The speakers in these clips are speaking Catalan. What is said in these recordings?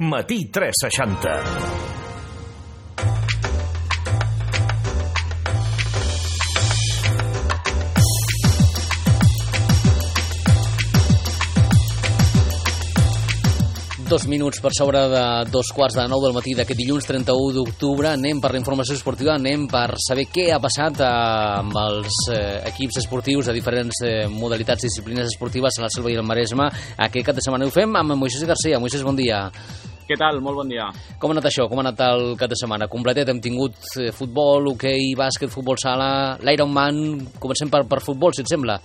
Matí 360. Dos minuts per sobre de 2:15 del matí d'aquest dilluns 31 d'octubre. Anem per la informació esportiva, anem per saber què ha passat amb els equips esportius de diferents modalitats i disciplines esportives a la Selva i el Maresme. Aquest cap de setmana ho fem amb Moisés Garcia. Moisés, bon dia. Què tal? Molt bon dia. Com ha anat això? Com ha anat el cap de setmana? Completet, hem tingut futbol, hoquei, bàsquet, futbol sala, l'Ironman. Comencem per futbol, si et sembla.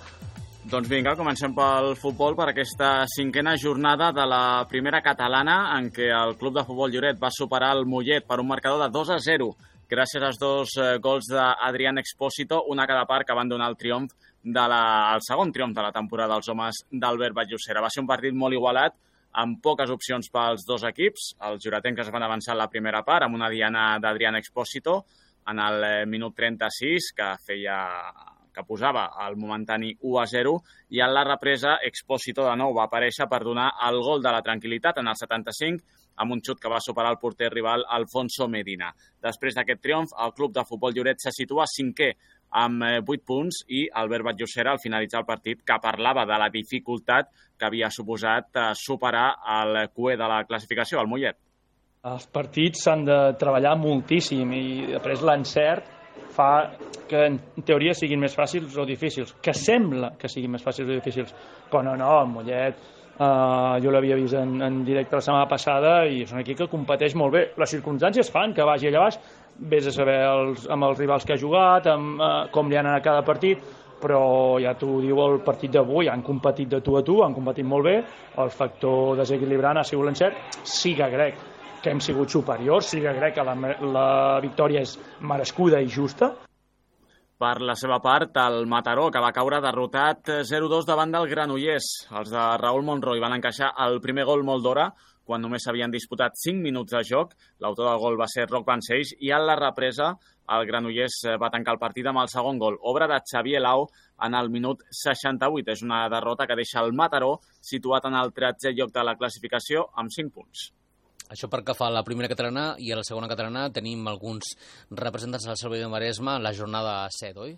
Doncs vinga, comencem pel futbol, per aquesta cinquena jornada de la primera catalana en què el Club de Futbol Lloret va superar el Mollet per un marcador de 2-0, gràcies als dos gols d'Adrián Expósito, una a cada part, que van donar el triomf el segon triomf de la temporada dels homes d'Albert Batllocera. Va ser un partit molt igualat, amb poques opcions pels dos equips. Els lloretencs es van avançar en la primera part amb una diana d'Adrián Expósito en el minut 36, que posava el momentani 1-0, i en la represa Expósito de nou va aparèixer per donar el gol de la tranquil·litat en el 75 amb un xut que va superar el porter rival Alfonso Medina. Després d'aquest triomf, el Club de Futbol Lloret se situa cinquè amb 8 punts i Albert Batllocera, al finalitzar el partit, que parlava de la dificultat que havia suposat superar el cué de la classificació, el Mollet. Els partits s'han de treballar moltíssim i després l'encert fa que en teoria siguin més fàcils o difícils, que sembla que siguin més fàcils o difícils, però no, el Mollet jo l'havia vist en directe la setmana passada i és un equip que competeix molt bé. Les circumstàncies fan que vagi allà baix, vés a saber amb els rivals que ha jugat, com li han anat a cada partit, però ja t'ho diu el partit d'avui, han competit de tu a tu, han competit molt bé, el factor desequilibrant ha sigut l'encert. Sí que crec que hem sigut superiors, sí que crec que la victòria és merescuda i justa. Per la seva part, el Mataró, que va caure derrotat 0-2 davant del Granollers. Els de Raúl Monroy van encaixar el primer gol molt d'hora, quan només s'havien disputat 5 minuts de joc. L'autor del gol va ser Roc Vancells, i en la represa el Granollers va tancar el partit amb el segon gol, obra de Xavier Lau en el minut 68. És una derrota que deixa el Mataró situat en el 13è lloc de la classificació amb 5 punts. Això per que fa la primera catalana, i a la segona catalana tenim alguns representants de la Selva i del Maresme en la jornada 7, oi?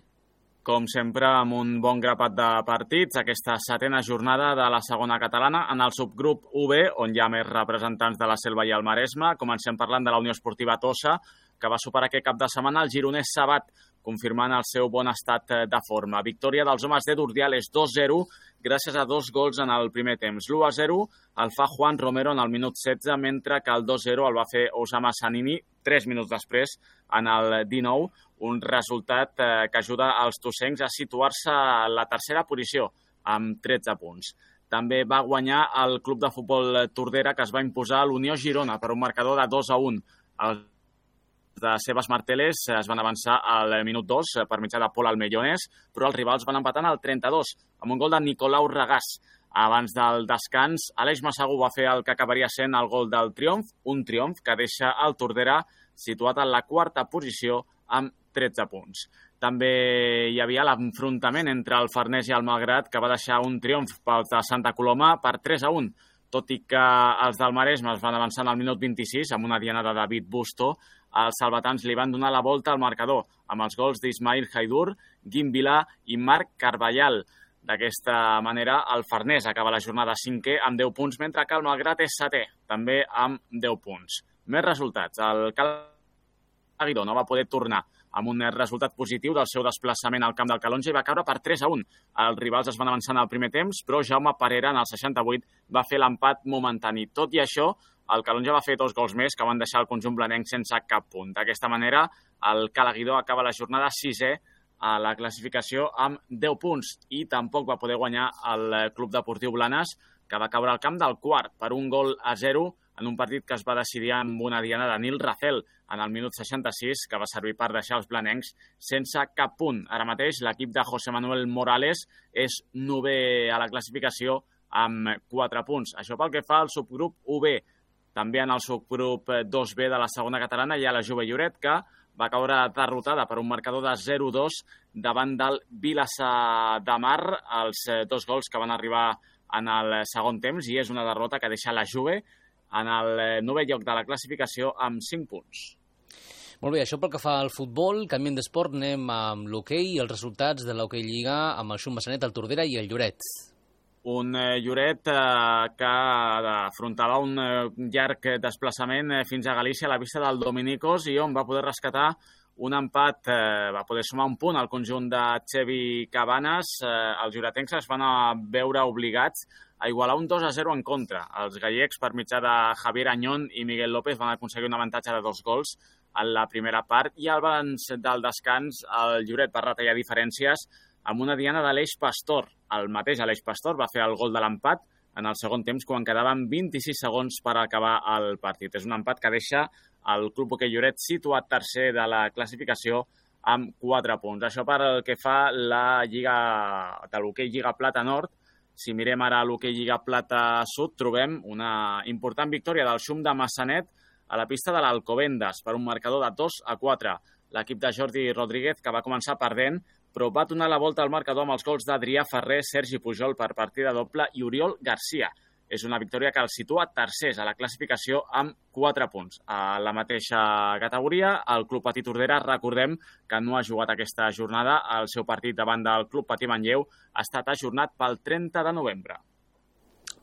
Com sempre, amb un bon grapat de partits, aquesta setena jornada de la segona catalana en el subgrup UB, on hi ha més representants de la Selva i el Maresme. Comencem parlant de la Unió Esportiva Tossa, que va superar aquest cap de setmana el gironès Sabat, confirmant el seu bon estat de forma. Victòria dels homes de Durdiales 2-0, gràcies a 2 gols en el primer temps. L'1-0 el fa Juan Romero en el minut 16, mentre que el 2-0 el va fer Osama Sanini 3 minuts després, en el 19, un resultat que ajuda els tossencs a situar-se a la tercera posició, amb 13 punts. També va guanyar el Club de Futbol Tordera, que es va imposar a l'Unió Girona per un marcador de 2-1. Els de Sebas Marteles es van avançar al minut 2 per mitjà de Pol Almellones, però els rivals van empatar en el 32, amb un gol de Nicolau Regàs. Abans del descans, Aleix Massagu va fer el que acabaria sent el gol del triomf, un triomf que deixa el Tordera situat en la quarta posició amb 13 punts. També hi havia l'enfrontament entre el Farners i el Malgrat, que va deixar un triomf pel de Santa Coloma per 3-1, tot i que els del Maresme es van avançar en el minut 26 amb una diana de David Busto. Els salvatans li van donar la volta al marcador amb els gols d'Ismail Haidur, Guim Vilà i Marc Carballal. D'aquesta manera, el Farners acaba la jornada 5è amb 10 punts, mentre que el Malgrat és 7è, també amb 10 punts. Més resultats. El Calaguidó no va poder tornar amb un resultat positiu del seu desplaçament al camp del Calonge i va caure per 3-1. Els rivals es van avançar en el primer temps, però Jaume Parera, en el 68, va fer l'empat momentani. Tot i això, el Calonge va fer 2 gols més que van deixar el conjunt blanenc sense cap punt. D'aquesta manera, el Calaguidó acaba la jornada 6è a la classificació amb 10 punts i tampoc va poder guanyar el Club Deportiu Blanes, que va caure al camp del Quart per 1-0 en un partit que es va decidir amb una diana de Nil Racel en el minut 66, que va servir per deixar els blanencs sense cap punt. Ara mateix l'equip de José Manuel Morales és 9è a la classificació amb 4 punts. Això pel que fa al subgrup UB. També en el subgrup 2B de la segona catalana hi ha la Jove Lloret, que va caure derrotada per un marcador de 0-2 davant del Vilassar de Mar, els 2 gols que van arribar en el segon temps, i és una derrota que deixa la Juve en el 9è lloc de la classificació amb 5 punts. Molt bé, això pel que fa al futbol. Canviem d'esport, anem amb l'hoquei i els resultats de l'hoquei Lliga amb el Xum Massanet, el Tordera i el Lloret. Un Lloret que afrontava un llarg desplaçament fins a Galícia a la pista del Dominicos i on va poder rescatar un empat, va poder sumar un punt al conjunt de Xevi Cabanes. Els lloretencs es van veure obligats a igualar un 2-0 en contra. Els gallecs, per mitjà de Javier Añón i Miguel López, van aconseguir un avantatge de 2 gols en la primera part i abans del descans el Lloret va retallar diferències amb una diana de l'Eix Pastor. El mateix Aleix Pastor va fer el gol de l'empat en el segon temps quan quedaven 26 segons per acabar el partit. És un empat que deixa el Club Hoquei Lloret situat tercer de la classificació amb 4 punts. Això per el que fa la Lliga de l'Hoquei Lliga Plata Nord. Si mirem ara l'Hoquei Lliga Plata Sud, trobem una important victòria del Xum de Massanet a la pista de l'Alcobendas per un marcador de 2-4. L'equip de Jordi Rodríguez, que va començar perdent, però va donar la volta al marcador amb els gols d'Adrià Ferrer, Sergi Pujol per partida doble i Oriol Garcia. És una victòria que el situa tercers a la classificació amb 4 punts. A la mateixa categoria, el Club Patí Tordera, recordem que no ha jugat aquesta jornada. El seu partit davant del Club Patí Manlleu ha estat ajornat pel 30 de novembre.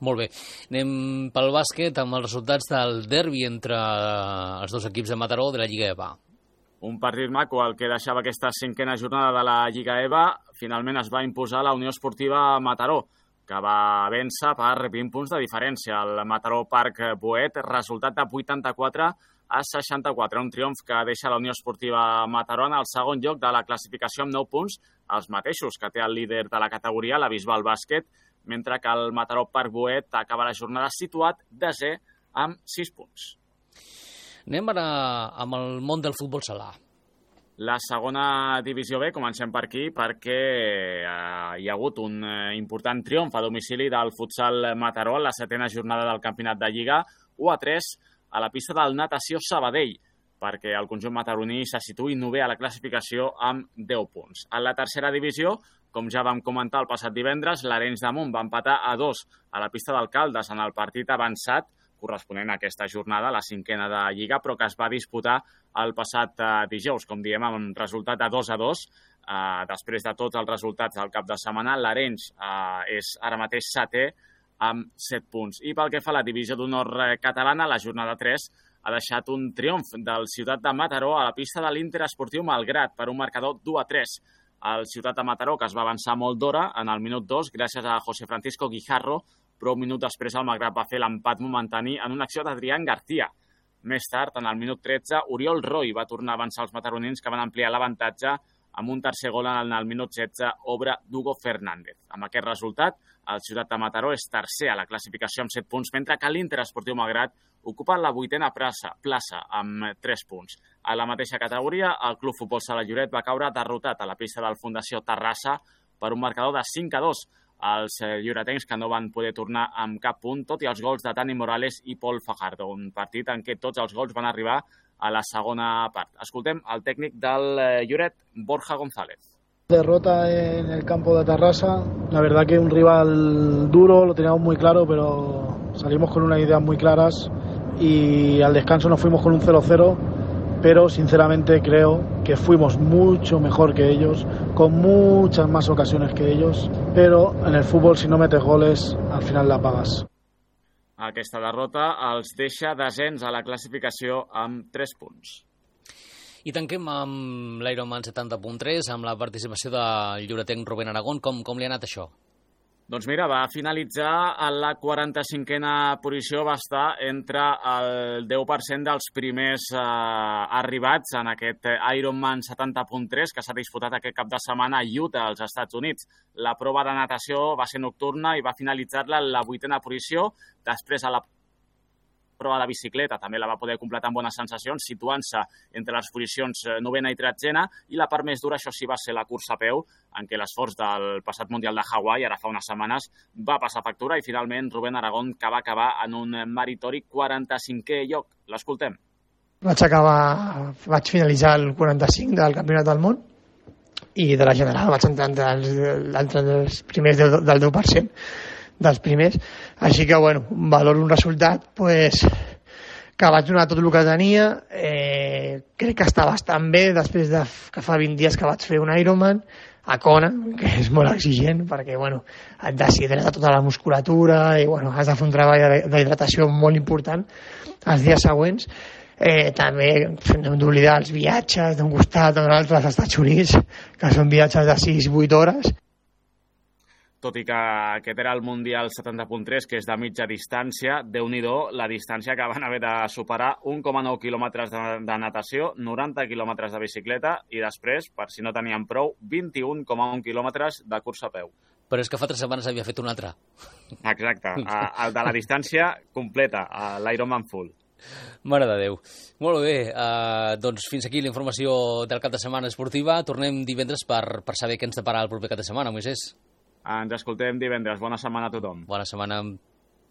Molt bé. Anem pel bàsquet amb els resultats del derbi entre els dos equips de Mataró de la Lliga EVA. Un partit maco, el que deixava aquesta 5a jornada de la Lliga EVA. Finalment es va imposar la Unió Esportiva Mataró, que va vèncer per 20 punts de diferència. El Mataró Parc Boet, resultat de 84-64. Un triomf que deixa la Unió Esportiva Mataró en el segon lloc de la classificació amb 9 punts, els mateixos que té el líder de la categoria, la Bisbal Bàsquet, mentre que el Mataró Parc Boet acaba la jornada situat desè amb 6 punts. Anem ara amb el món del futbol sala. La segona divisió B, comencem per aquí, perquè hi ha hagut un important triomf a domicili del futsal Mataró en la 7a jornada del campionat de Lliga, 1-3 a la pista del Natació Sabadell, perquè el conjunt mataroní se situï 9è a la classificació amb 10 punts. En la tercera divisió, com ja vam comentar el passat divendres, l'Arenys de Munt va empatar a 2 a la pista d'Alcaldes en el partit avançat corresponent a aquesta jornada, la 5a de Lliga, però que es va disputar el passat dijous, com diem, amb resultat de 2-2. Després de tots els resultats del cap de setmana, l'Arenys és ara mateix 7è amb 7 punts. I pel que fa a la divisió d'honor catalana, la jornada 3 ha deixat un triomf del Ciutat de Mataró a la pista de l'Inter Esportiu Malgrat per un marcador 2-3. El Ciutat de Mataró, que es va avançar molt d'hora en el minut 2 gràcies a José Francisco Guijarro, però un minut després el Malgrat va fer l'empat momentani en una acció d'Adrián García. Més tard, en el minut 13, Oriol Roy va tornar a avançar els mataronins, que van ampliar l'avantatge amb un tercer gol en el minut 16, obra d'Hugo Fernández. Amb aquest resultat, el Ciutat de Mataró és tercer a la classificació amb 7 punts, mentre que l'Inter Esportiu Malgrat ocupa la 8a plaça amb 3 punts. A la mateixa categoria, el Club Futbol Sala Lloret va caure derrotat a la pista del Fundació Terrassa per un marcador de 5-2. Els lloretencs que no van poder tornar amb cap punt, tot i els gols de Tani Morales i Pol Fajardo. Un partit en què tots els gols van arribar a la segona part. Escoltem el tècnic del Lloret, Borja González. Derrota en el campo de Terrassa, la verdad que un rival duro, lo teníamos muy claro, pero salimos con unas ideas muy claras y al descanso nos fuimos con un 0-0, pero sinceramente creo que fuimos mucho mejor que ellos, con muchas más ocasiones que ellos, pero en el fútbol si no metes goles al final la pagas. Aquesta derrota els deixa descens a la classificació amb 3 punts. I tanquem amb l'Ironman 70.3, amb la participació del lloretenc Rubén Aragón. Com li ha anat això? Doncs mira, va finalitzar a la 45a posició, va estar entre el 10% dels primers arribats en aquest Ironman 70.3 que s'ha disputat aquest cap de setmana a Utah, als Estats Units. La prova de natació va ser nocturna i va finalitzar-la en la 8a posició. Després, a la prova de bicicleta també la va poder completar amb bones sensacions, situant-se entre les posicions 9a i 13a, i la part més dura, això sí, va ser la cursa a peu, en què l'esforç del passat Mundial de Hawaii, ara fa unes setmanes, va passar factura, i finalment Rubén Aragón, que va acabar en un meritori 45è lloc. L'escoltem. Vaig finalitzar el 45 del Campionat del Món i de la general vaig entrar entre els primers del 10%. dels primers. Així que, bueno, valoro un resultat pues, que vaig donar tot el que tenia. Crec que està bastant bé després de que fa 20 dies que vaig fer un Ironman a Kona, que és molt exigent perquè bueno, et deshidrata tota la musculatura i bueno, has de fer un treball d'hidratació molt important els dies següents. També hem d'oblidar els viatges d'un costat o de l'altre als Estats Units, que són viatges de 6-8 hores. Tot i que aquest era el Mundial 70.3, que és de mitja distància, Déu-n'hi-do la distància que van haver de superar 1,9 quilòmetres de natació, 90 quilòmetres de bicicleta i després, per si no tenien prou, 21,1 quilòmetres de cursa a peu. Però és que fa 3 setmanes havia fet un altre. Exacte, el de la distància completa, l'Ironman full. Mare de Déu. Molt bé, doncs fins aquí la informació del cap de setmana esportiva. Tornem divendres per saber què ens depararà el proper cap de setmana, Moisés. Ens escoltem divendres. Bona setmana a tothom. Bona setmana.